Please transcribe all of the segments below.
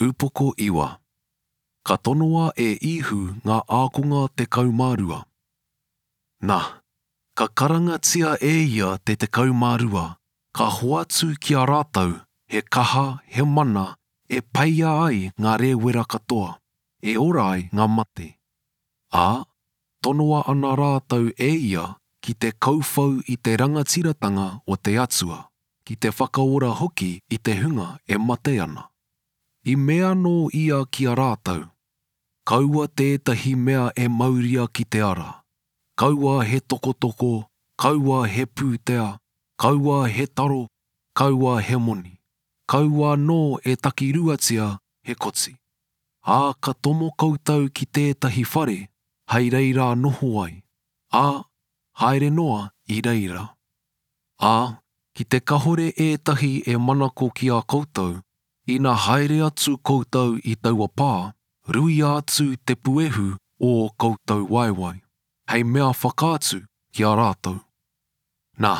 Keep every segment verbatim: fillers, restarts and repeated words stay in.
Upoko iwa. Ka tonoa e Īhu ngā ākonga tekau mā rua. Na, ka karangatia e ia te tekau mā rua, ka hoatu ki a rātou he kaha, he mana, e peia ai ngā rēwera katoa, e ora ai ngā mate. Ā, tonoa ana rātou e ia ki te kauwhau i te rangatiratanga o te Atua, ki te whakaora hoki i te hunga e mate ana. I mea anō ia ki a rātou, Kaua tētahi mea e mauria ki te ara, kaua he tokotoko, kaua he pūtea, kaua he taro, kaua he moni, kaua anō e takiruatia he koti. Ā, ka tomo koutou ki tētahi whare, hei reira noho ai, ā, haere noa i reira. Ā, ki te kahore ētahi e manako ki a koutou, ina haere atu koutou i taua pā, ruia atu te puehu o ō koutou waewae, hei mea whakaatu ki a rātou. Nā,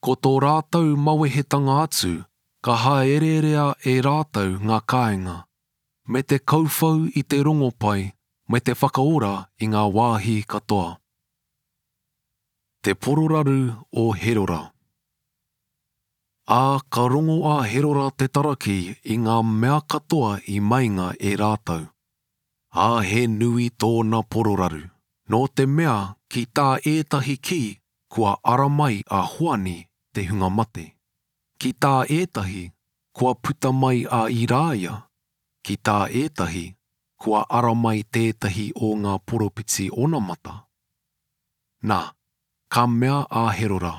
ko tō rātou mawehetanga atu, ka hāereerea e rātou ngā kāinga, me te kauwhau i te rongopai me te whakaora i ngā wāhi katoa. Te pororaru o Herora. Ā, ka rongo a Herora te Taraki i ngā mea katoa i meinga e rātou. Ā, he nui tōna pororaru, nō te mea ki tā ētahi kī kua ara mai a Hoani te hunga mate. Ki tā ētahi kua puta mai a Irāia, ki tā ētahi kua ara mai tētahi o ngā poropiti onamata. Nā, ka mea a Herora,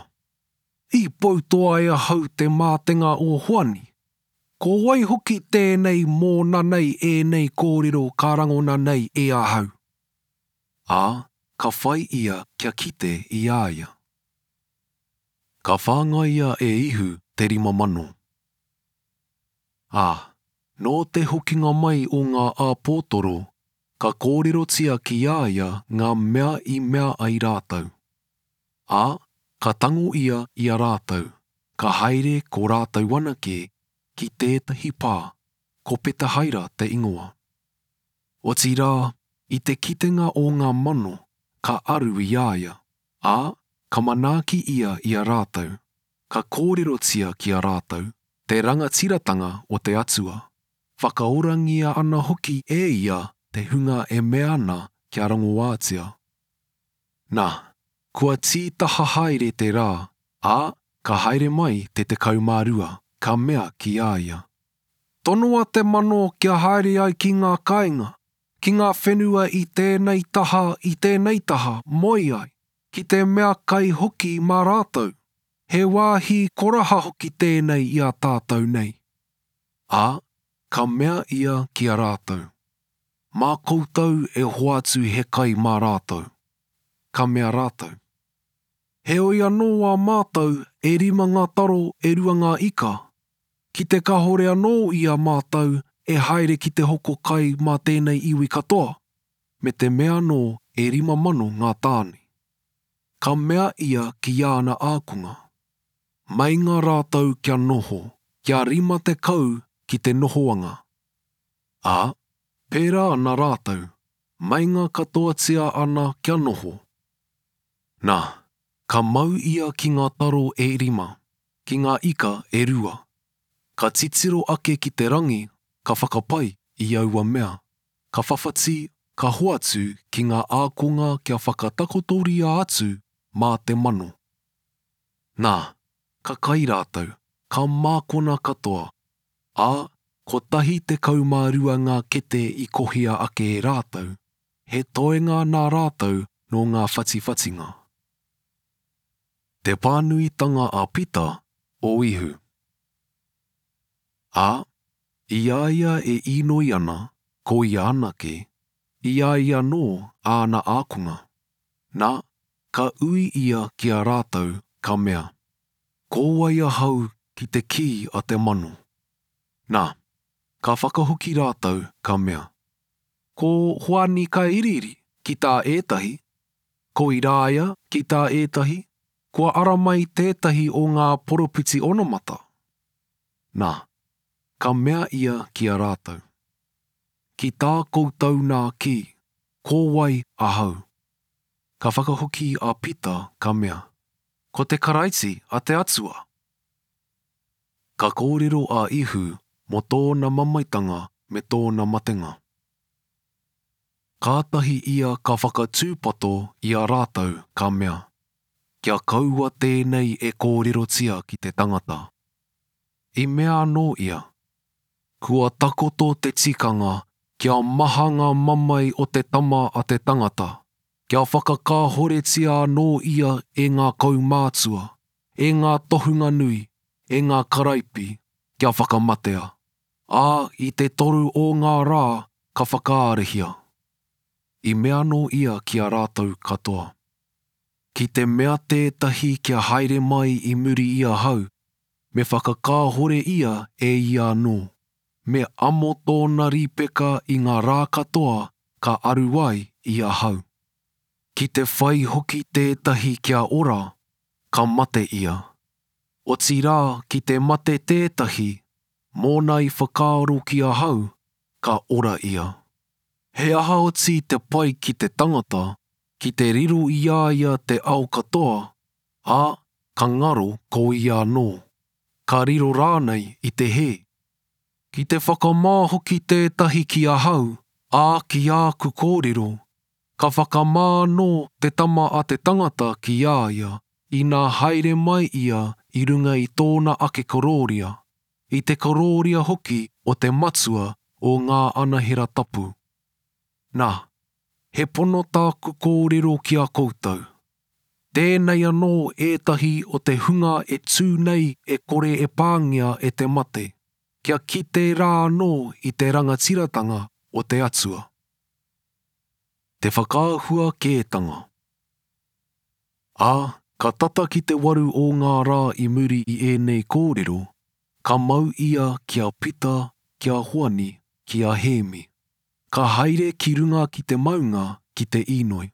I poutoa e ahau te mātenga o Hoani. Ko wai hoki tēnei mōna nei ēnei kōrero ka rangona nei e ahau? Ā, ka whai ia kia kite i a ia. Ka whāngaia e Ihu te rima mano. Ā, nō te hokinga mai o ngā āpōtoro, ka kōrerotia ki a ia ngā mea i mea ai rātou. Ā, ka tango ia i a rātou, ka haere ko rātou anake ki tētahi pā, ko Petahaira te ingoa. Otirā, i te kitenga o ngā mano, ka aru i a ia, ā, ka manaaki ia i a rātou, ka kōrerotia ki a rātou te rangatiratanga o te Atua, whakaorangia ana hoki e ia te hunga e mea ana kia rongoātia. Nā, kua tītaha haere te rā, ā, ka haere mai te tekau mā rua, ka mea ki a ia, Tonoa te mano kia haere ai ki ngā kāinga, ki ngā whenua i tēnei taha, i tēnei taha, moe ai, ki te mea kai hoki mā rātou. He wāhi koraha hoki tēnei i a tātou nei. Ā, ka mea ia ki a rātou, Mā koutou e hoatu he kai mā rātou. Ka mea rātou, Heoi anō a mātou e rima ngā taro e rua ngā ika, ki te kahore anō i a mātou e haere ki te hoko kai mā tēnei iwi katoa, me te mea anō e rima mano ngā tāne. Ka mea ia ki āna ākonga, Meinga rātou kia noho, kia rima tekau ki te nohoanga. Ā, pērā ana rātou, meinga katoatia ana kia noho. Nā, ka mau ia ki ngā taro e rima, ki ngā ika e rua. Ka titiro ake ki te rangi, ka whakapai i aua mea, ka whawhati, ka hoatu ki ngā ākonga kia whakatakotoria atu mā te mano. Nā, ka kai rātou, ka mākona katoa, ā, kotahi tekau mā rua ngā kete i kohia ake e rātou, he toenga nā rātou nō ngā whatiwhatinga. Te pānuitanga a Pita o Ihu. Ā, i a ia e īnoi ana, ko ia anake, i a ia anō āna ākonga. Nā, ka ui ia ki a rātou, ka mea, Ko wai ahau ki te kī a te mano? Nā, ka whakahoki rātou, ka mea, Ko Hoani Kairiiri ki tā ētahi, ko Irāia ki tā ētahi, kua ara mai tētahi o ngā poropiti onamata. Nā, ka mea ia ki a rātou, Ki tā koutou nā kī, ko wai ahau? Ka whakahoki a Pita ka mea, Ko te Karaiti a te Atua. Ka kōrero a Ihu mō tōna mamaetanga me tōna matenga. Kātahi ia ka whakatūpato i a rātou ka mea, Kia kaua tēnei e kōrerotia ki te tangata. I mea anō ia, Kua takoto te tikanga kia maha ngā mamae o te tama a te tangata, kia whakakāhoretia anō ia e ngā kaumātua, e ngā tohunga nui, e ngā karaipi, kia whakamatea, ā, i te toru o ngā rā ka whakaarahia. I mea anō ia ki a rātou katoa, Ki te mea tētahi kia haere mai i muri i ahau, me whakakāhore ia e ia anō, me amo tōna rīpeka i ngā rā katoa ka aru ai i ahau. Ki te whai hoki tētahi kia ora, ka mate ia. Otirā ki te mate tētahi, mōna i whakaaro ki ahau, ka ora ia. He aha oti te pai ki te tangata, ki te riro i a ia te ao katoa, ā, ka ngaro ko ia anō, ka riro rānei i te hē? Ki te whakamā hoki tētahi ki ahau, ā, ki āku kōrero, ka whakamā anō te tama a te tangata ki a ia, inā haere mai ia i runga i tōna ake korōria, i te korōria hoki o te Matua o ngā anahera tapu. Nā, he pono tāku kōrero ki a koutou. Tēnei anō ētahi o te hunga e tū nei e kore e pāngia e te mate, kia kite rā anō i te rangatiratanga o te Atua. Te whakaahua kētanga. Ā, ka tata ki te waru o ngā rā i muri i ēnei kōrero, ka mau ia ki a Pita, ki a Hoani, ki a Hēmi. Ka haere ki runga ki te maunga ki te īnoi.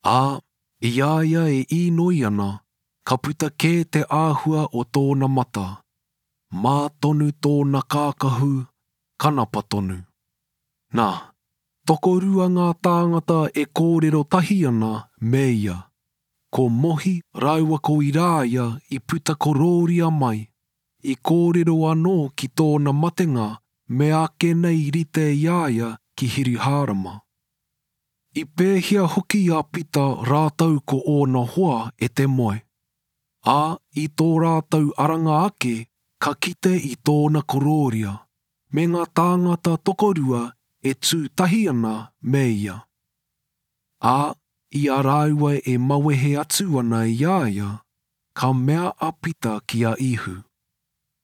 Ā, i a ia e īnoi ana, ka puta kē te āhua o tōna mata, mā tonu tōna kākahu, kanapa tonu. Nā, tokorua ngā tāngata e kōrero tahi ana me ia, ko Mohi rāua ko Irāia i puta korōria mai, i kōrero anō ki tōna matenga me ake nei rite i a ia ki Hiruhārama. I pēhia hoki a Pita rātou ko ōna hoa e te moe. Ā, i tō rātou aranga ake, ka kite i tōna korōria, me ngā tāngata tokorua e tū tahi ana me ia. Ā, i a rāua e mawehe atu ana i a ia, ka mea a Pita ki a Ihu,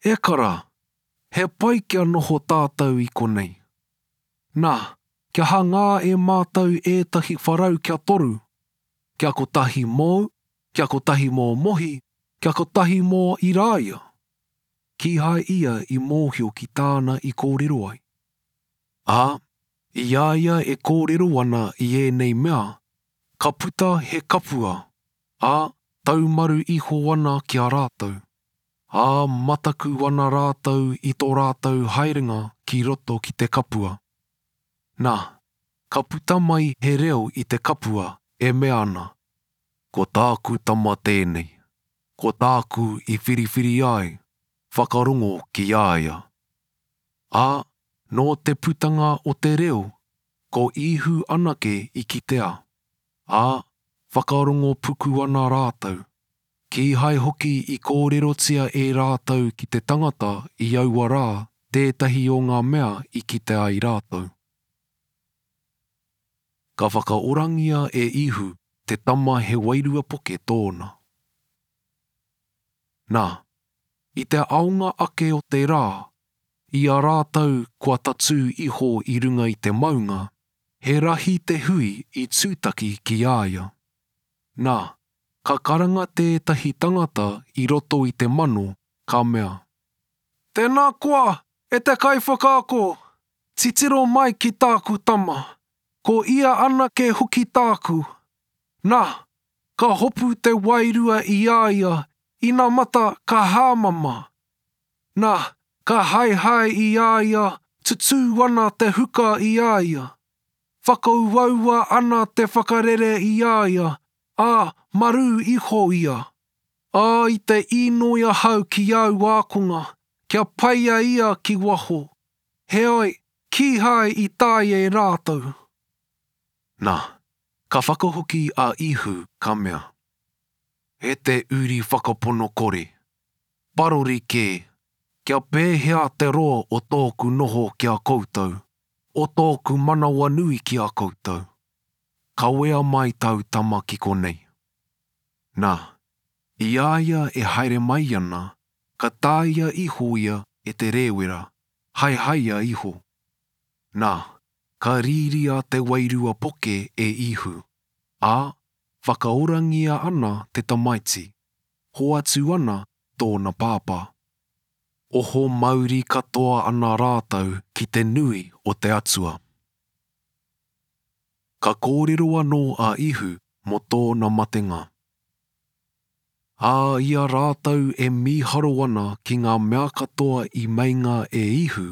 E kara, he pai kia noho tātou i konei. Nā, kia hangā e mātou ētahi wharau kia toru, kia kotahi mōu, kia kotahi mō Mohi, kia kotahi mō Irāia. Kīhai ia i mōhio ki tāna i kōrero ai. Ā, i a ia e kōrero ana i ēnei mea, ka puta he kapua, ā, taumaru iho ana ki a rātou. Ā, mataku ana rātou i tō rātou haerenga ki roto ki te kapua. Nā, ka puta mai he reo i te kapua e mea ana, Ko tāku tama tēnei, ko tāku i whiriwhiri ai, whakarongo ki a ia. Ā, nō te putanga o te reo, ko Ihu anake i kitea. Ā, whakarongo puku ana rātou. Kīhai hoki i kōrerotia e rātou ki te tangata i aua rā tētahi o ngā mea i kite ai rātou. Ka whakaorangia e Ihu te tama he wairua poke tōna. Nā, i te aonga ake o te rā, i a rātou kua tatū iho i runga i te maunga, he rahi te hui i tūtaki ki a ia. Nā, ka karanga tētahi tangata i roto i te mano, ka mea, Tēnā koa, e te kaiwhakaako, titiro mai ki tāku tama, ko ia anake hoki tāku. Nā, ka hopu te wairua i a ia, inamata ka hāmama. Nā, ka haehae i a ia, tutū Tutū ana te huka i a ia. Whakauaua ana te whakarere i a ia, ā, marū iho ia. Ā, i te īnoi ahau ki āu ākonga, kia peia ia ki waho, heoi, kīhai i taea e rātou. Nā, ka whakahoki a Īhu, ka mea, E te uri whakapono kore, parori kē, kia pēhea te roa o tōku noho ki a koutou, o tōku manawanui ki a koutou? Kawea mai tāu tama ki konei. Nā, i a ia e haere mai ana, ka tāia iho ia e te rēwera, haehaea iho. Nā, ka rīria te wairua poke e Īhu, ā, whakaorangia ana te tamaiti, hoatu ana tōna pāpā. Oho mauri katoa ana rātou ki te nui o te Atua. Ka kōrero anō a Īhu mō tōna matenga. Ā, i a rātou e mīharo ana ki ngā mea katoa i meinga e Īhu,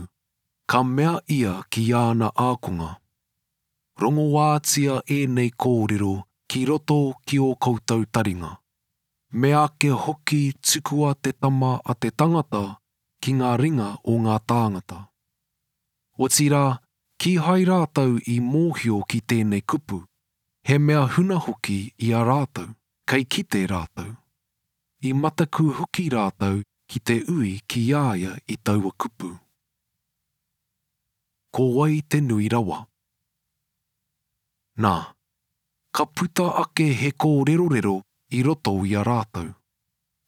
ka mea ia ki āna ākonga, Rongoātia ēnei kōrero ki roto ki ō koutou taringa. Meake hoki tukua te Tama a te tangata ki ngā ringa o ngā tāngata. Otirā, kīhai rātou i mōhio ki tēnei kupu, he mea huna hoki i a rātou, kei kite rātou. I mataku hoki rātou ki te ui ki a ia i taua kupu. Ko wai te nui rawa? Nā, ka puta ake he kōrerorero i roto i a rātou.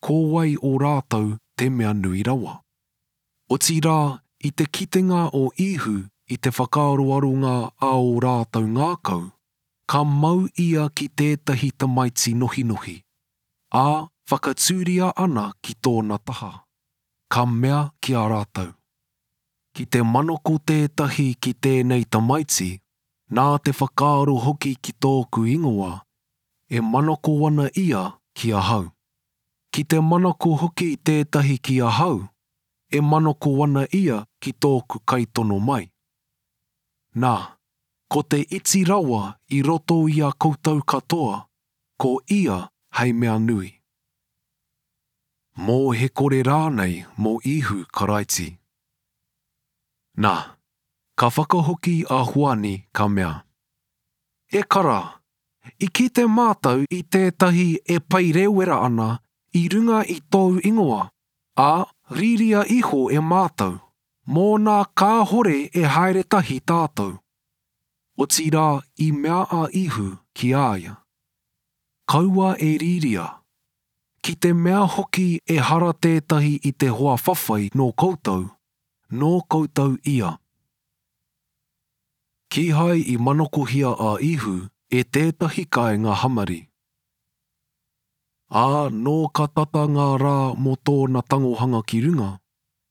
Ko wai o rātou te mea nui rawa? Otirā, i te kitenga o Īhu i te whakaaroaronga a ō rātou ngākau, ka mau ia ki tētahi tamaiti nohinohi, ā, whakatūria ana ki tōna taha, ka mea ki a rātou, Ki te manako tētahi ki tēnei tamaiti, nā te whakaaro hoki ki tōku ingoa, e manako ana ia ki ahau. Ki te manako hoki tētahi ki ahau, e manako ana ia ki tōku kaitono mai. Nā, ko te iti rawa i roto i a koutou katoa, ko ia hei mea nui. Mō he kore rānei mō Īhu Karaiti. Nā, ka whakahoki a Hoani ka mea, E kara, i kite mātou i tētahi e pai rēwera ana i runga i tōu ingoa, ā, rīria iho e mātou, mōna kāhore e haere tahi tātou. Otirā i mea a Īhu ki a ia, Kaua e rīria, ki te mea hoki ehara tētahi i te hoa whawhai nō koutou, nō koutou ia. Kīhai i manakohia a Īhu e tētahi kāinga Hamari. Ā, nō ka tata ngā rā mō tōna tangohanga ki runga,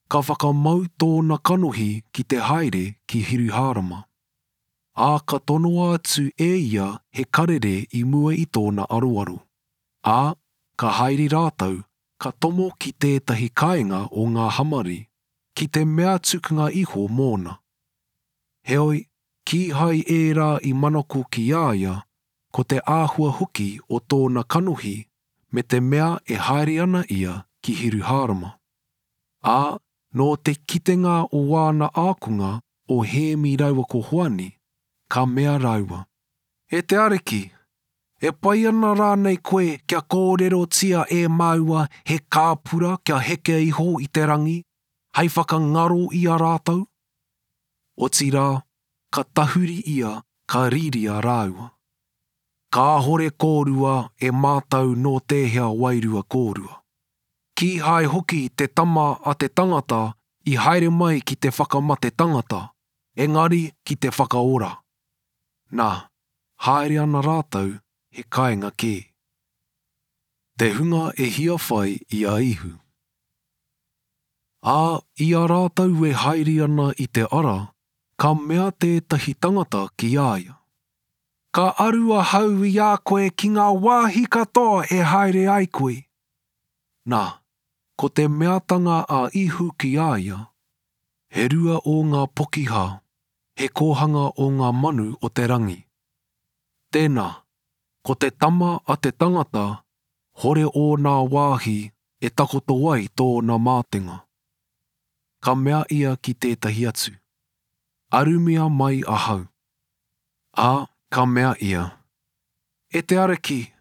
ka whakamau tōna kanohi ki te haere ki Hiruhārama. Ā, ka tonoa atu e ia he karere i mua i tōna aroaro. Ā, ka haere rātou, ka tomo ki tētahi kāinga o ngā Hamari, ki te mea tukunga iho mōna. Heoi, kīhai ērā i manako ki a ia, ko te āhua hoki o tōna kanohi me te mea e haere ana ia ki Hiruhārama. Ā, nō te kitenga o āna ākonga o Hēmi rāua ko Hoani, ka mea rāua, E te Ariki, e pai ana rānei koe kia kōrerotia e māua he kāpura kia heke iho i te rangi, hei whakangaro i a rātou? Otirā, ka tahuri ia, ka rīria rāua. Kāhore kōrua e mātau nō tēhea wairua kōrua. Kīhai hoki te tama a te tangata i haere mai ki te whakamate tangata, engari ki te whakaora. Nā, haere ana rātou he kāinga kē. Te hunga e hiawhai i a Īhu. Ā, i a rātou e haere ana i te ara, ka mea tētahi tangata ki a ia, Ka aru ahau i a koe ki ngā wāhi katoa e haere ai koe. Nā, ko te meatanga a Īhu ki a ia, He rua ō ngā pokiha, he kōhanga o ngā manu o te rangi. Tēnā, ko te tama a te tangata, hore ōna wāhi e takoto ai tōna mātenga. Ka mea ia ki tētahi atu, Arumia mai ahau. Ā, ka mea ia, E te Ariki,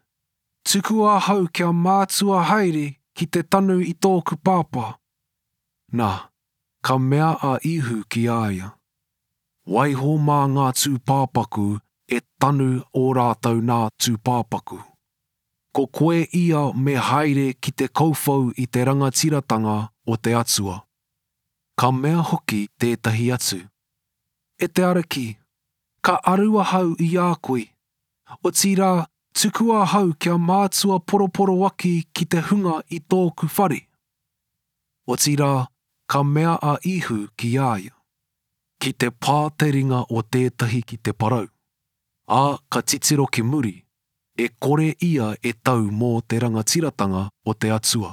tukua ahau kia mātua haere ki te tanu i tōku pāpā. Nā, ka mea a Īhu ki a ia, Waiho mā ngā tūpāpaku e tanu ō rātou nā tūpāpaku. Ko koe ia me haere ki te kauwhau i te rangatiratanga o te Atua. Ka mea hoki tētahi atu, E te Ariki, ka aru ahau i a koe, otirā tukua ahau kia mātua poroporoaki ki te hunga i tōku whare. Otirā, ka mea a Īhu ki a ia, Ki te pā te ringa o tētahi ki te parau, ā, ka titiro ki muri, e kore ia e tau mō te rangatiratanga o te Atua.